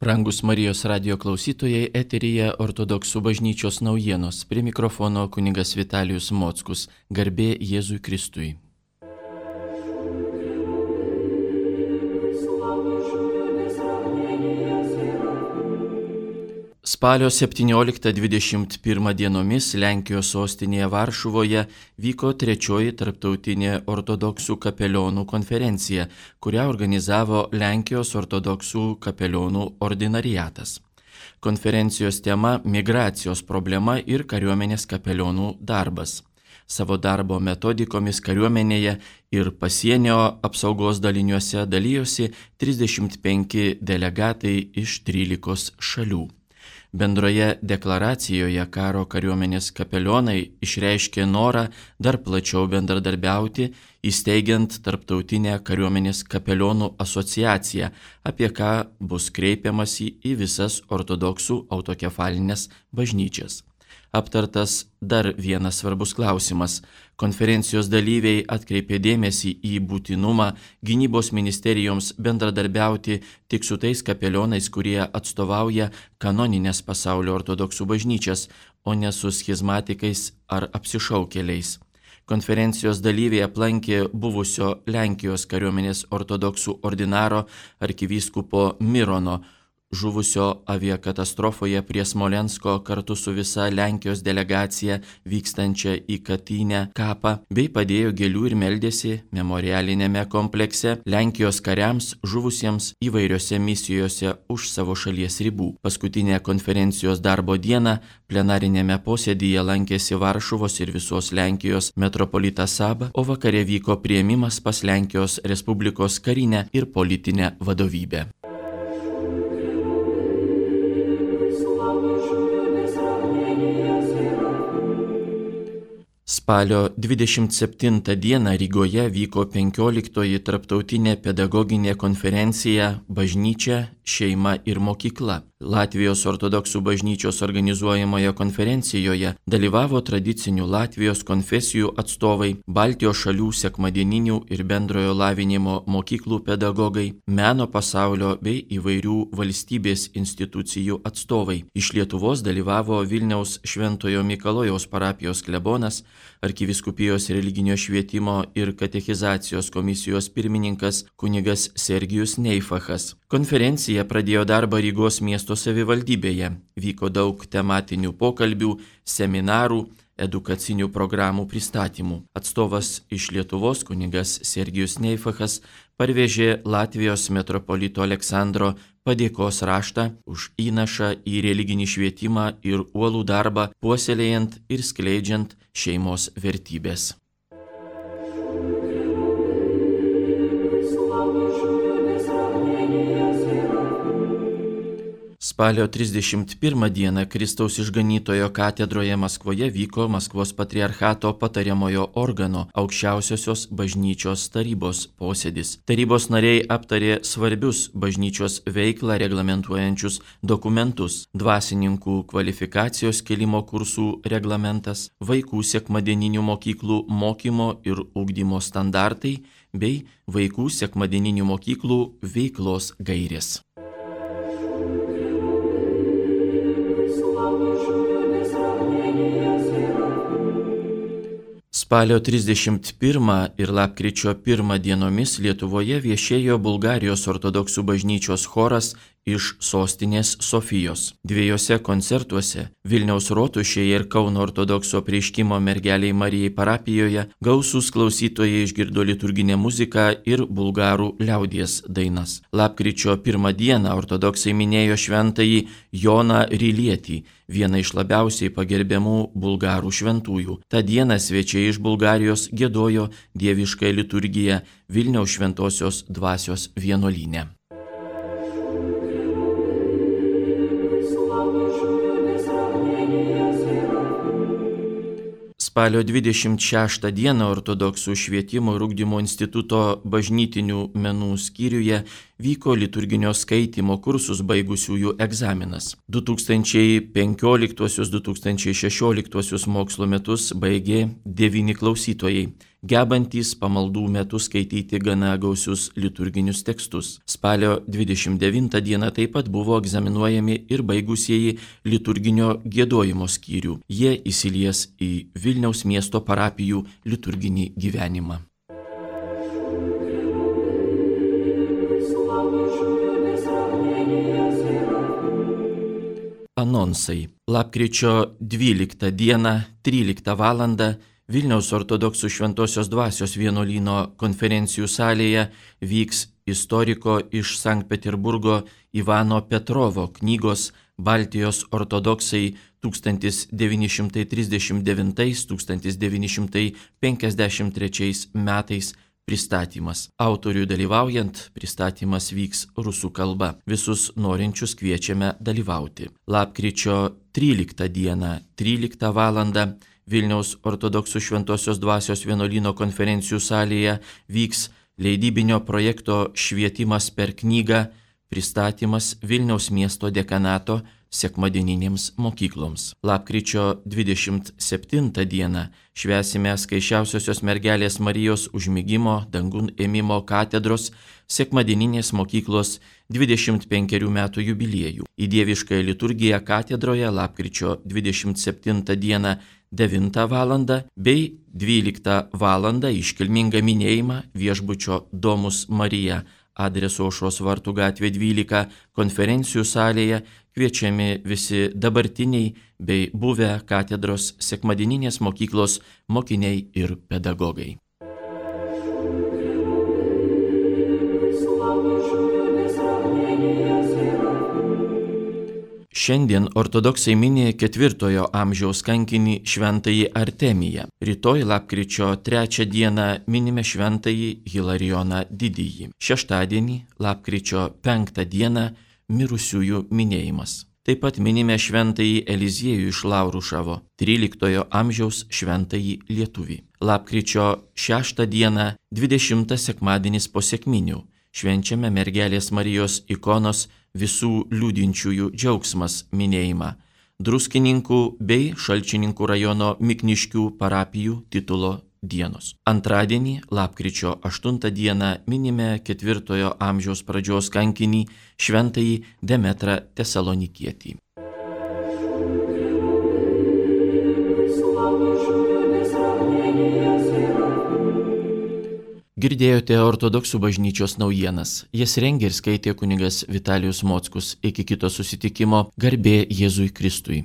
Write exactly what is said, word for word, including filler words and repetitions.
Brangus Marijos radijo klausytojai, eteryje Ortodoksų bažnyčios naujienos. Prie mikrofono kunigas Vitalijus Mockus. Garbė Jėzui Kristui. Spalio septynioliktą dvidešimt pirmą dienomis Lenkijos sostinėje Varšuvoje vyko trečioji tarptautinė ortodoksų kapelionų konferencija, kurią organizavo Lenkijos ortodoksų kapelionų ordinariatas. Konferencijos tema – migracijos problema ir kariuomenės kapelionų darbas. Savo darbo metodikomis kariuomenėje ir pasienio apsaugos daliniuose dalijosi trisdešimt penki delegatai iš trylikos šalių. Bendroje deklaracijoje karo kariuomenės kapelionai išreiškė norą dar plačiau bendradarbiauti, įsteigiant tarptautinę kariuomenės kapelionų asociaciją, apie ką bus kreipiamasi į visas ortodoksų autokefalinės bažnyčias. Aptartas dar vienas svarbus klausimas. Konferencijos dalyviai atkreipė dėmesį į būtinumą gynybos ministerijoms bendradarbiauti tik su tais kapelionais, kurie atstovauja kanoninės pasaulio ortodoksų bažnyčias, o ne su schizmatikais ar apsišaukėliais. Konferencijos dalyviai aplankė buvusio Lenkijos kariuomenės ortodoksų ordinaro arkivyskupo Mirono, žuvusio aviakatastrofoje prie Smolensko kartu su visa Lenkijos delegacija vykstančia į Katynę kapą, bei padėjo gėlių ir meldėsi memorialinėme komplekse Lenkijos kariams žuvusiems įvairiose misijose už savo šalies ribų. Paskutinę konferencijos darbo dieną plenarinėme posėdyje lankėsi Varšuvos ir visos Lenkijos metropolitas Saba, o vakare vyko priėmimas pas Lenkijos Respublikos karinę ir politinę vadovybę. Spalio dvidešimt septintą dieną Rygoje vyko penkioliktoji tarptautinė pedagoginė konferencija Bažnyčia, šeima ir mokykla. Latvijos ortodoksų bažnyčios organizuojamoje konferencijoje dalyvavo tradicinių Latvijos konfesijų atstovai, Baltijos šalių sekmadieninių ir bendrojo lavinimo mokyklų pedagogai, meno pasaulio bei įvairių valstybės institucijų atstovai. Iš Lietuvos dalyvavo Vilniaus Šventojo Mikalojaus parapijos klebonas, arkivyskupijos religinio švietimo ir katechizacijos komisijos pirmininkas kunigas Sergijus Neifachas. Konferencija pradėjo darbą Rygos miesto savivaldybėje. Vyko daug tematinių pokalbių, seminarų, edukacinių programų pristatymų. Atstovas iš Lietuvos kunigas Sergijus Neifachas parvežė Latvijos metropolito Aleksandro padėkos raštą už įnašą į religinį švietimą ir uolų darbą, puoselėjant ir skleidžiant šeimos vertybės. Spalio trisdešimt pirmą dieną Kristaus išganytojo katedroje Maskvoje vyko Maskvos patriarchato patariamojo organo aukščiausiosios bažnyčios tarybos posėdis. Tarybos nariai aptarė svarbius bažnyčios veiklą reglamentuojančius dokumentus: dvasininkų kvalifikacijos kėlimo kursų reglamentas, vaikų sekmadieninių mokyklų mokymo ir ugdymo standartai bei vaikų sekmadieninių mokyklų veiklos gairės. Spalio trisdešimt pirmą ir lapkričio pirmą dienomis Lietuvoje viešėjo Bulgarijos ortodoksų bažnyčios choras iš sostinės Sofijos. Dviejose koncertuose Vilniaus rotušėje ir Kauno ortodokso apreiškimo mergeliai Marijai parapijoje gausūs klausytojai išgirdo liturginę muziką ir bulgarų liaudies dainas. Lapkričio pirmą dieną ortodoksai minėjo šventąjį Joną Rilietį, vieną iš labiausiai pagerbiamų bulgarų šventųjų. Ta diena svečiai iš Bulgarijos giedojo dieviškąją liturgiją Vilniaus šventosios dvasios vienuolyne. Spalio dvidešimt šeštą dieną Ortodoksų švietimo ir ugdymo instituto bažnytinių menų skyriuje vyko liturginio skaitymo kursus baigusiųjų egzaminas. du tūkstančiai penkioliktuosius - du tūkstančiai šešioliktuosius mokslo metus baigė devyni klausytojai. gebantys pamaldų metu skaityti gana gausius liturginius tekstus. Spalio dvidešimt devintą dieną taip pat buvo egzaminuojami ir baigusieji liturginio giedojimo skyrių. Jie įsilies į Vilniaus miesto parapijų liturginį gyvenimą. Anonsai. Lapkričio dvyliktą dieną, tryliktą valandą Vilniaus ortodoksų Šventosios Dvasios vienuolyno konferencijų salėje vyks istoriko iš Sankt Peterburgo Ivano Petrovo knygos Baltijos ortodoksai tūkstantis devyni šimtai trisdešimt devintais - tūkstantis devyni šimtai penkiasdešimt trečiais metais pristatymas. Autoriui dalyvaujant, pristatymas vyks rusų kalba. Visus norinčius kviečiame dalyvauti. Lapkričio tryliktą dieną, tryliktą valandą Vilniaus ortodoksų Šventosios Dvasios vienuolyno konferencijų salėje vyks leidybinio projekto Švietimas per knygą pristatymas Vilniaus miesto dekanato sekmadieninėms mokykloms. Lapkričio dvidešimt septintą dieną švęsime Skaisčiausiosios mergelės Marijos užmigimo dangun ėmimo katedros sekmadieninės mokyklos dvidešimt penkerių metų jubiliejų. Į dieviškąją liturgiją katedroje lapkričio dvidešimt septintą dieną devintą valandą bei dvyliktą valandą iškilmingą minėjimą viešbučio Domus Marija adresu Aušros vartų gatvė dvylika konferencijų salėje kviečiami visi dabartiniai bei buvę katedros sekmadieninės mokyklos mokiniai ir pedagogai. Šiandien ortodoksai mini ketvirtojo amžiaus kankinį šventąjį Artemiją. Rytoj lapkričio trečią dieną minime šventąjį Hilarijoną Didįjį. Šeštadienį lapkričio penktą dieną mirusiųjų minėjimas. Taip pat minime šventąjį Eliziejų iš Laurušavo, tryliktojo amžiaus šventąjį lietuvį. Lapkričio šeštą dieną dvidešimtas sekmadienis po sekminių. Švenčiame mergelės Marijos ikonos visų liūdinčiųjų džiaugsmas minėjimą. Druskininkų bei Šalčininkų rajono Mikniškių parapijų titulo dienos. Antradienį, lapkričio aštuntą dieną minime ketvirtojo amžiaus pradžios kankinį šventąjį Demetrą Tesalonikietį. Girdėjote ortodoksų bažnyčios naujienas. Jas rengė ir skaitė kunigas Vitalijus Mockus. Iki kito susitikimo, garbė Jėzui Kristui.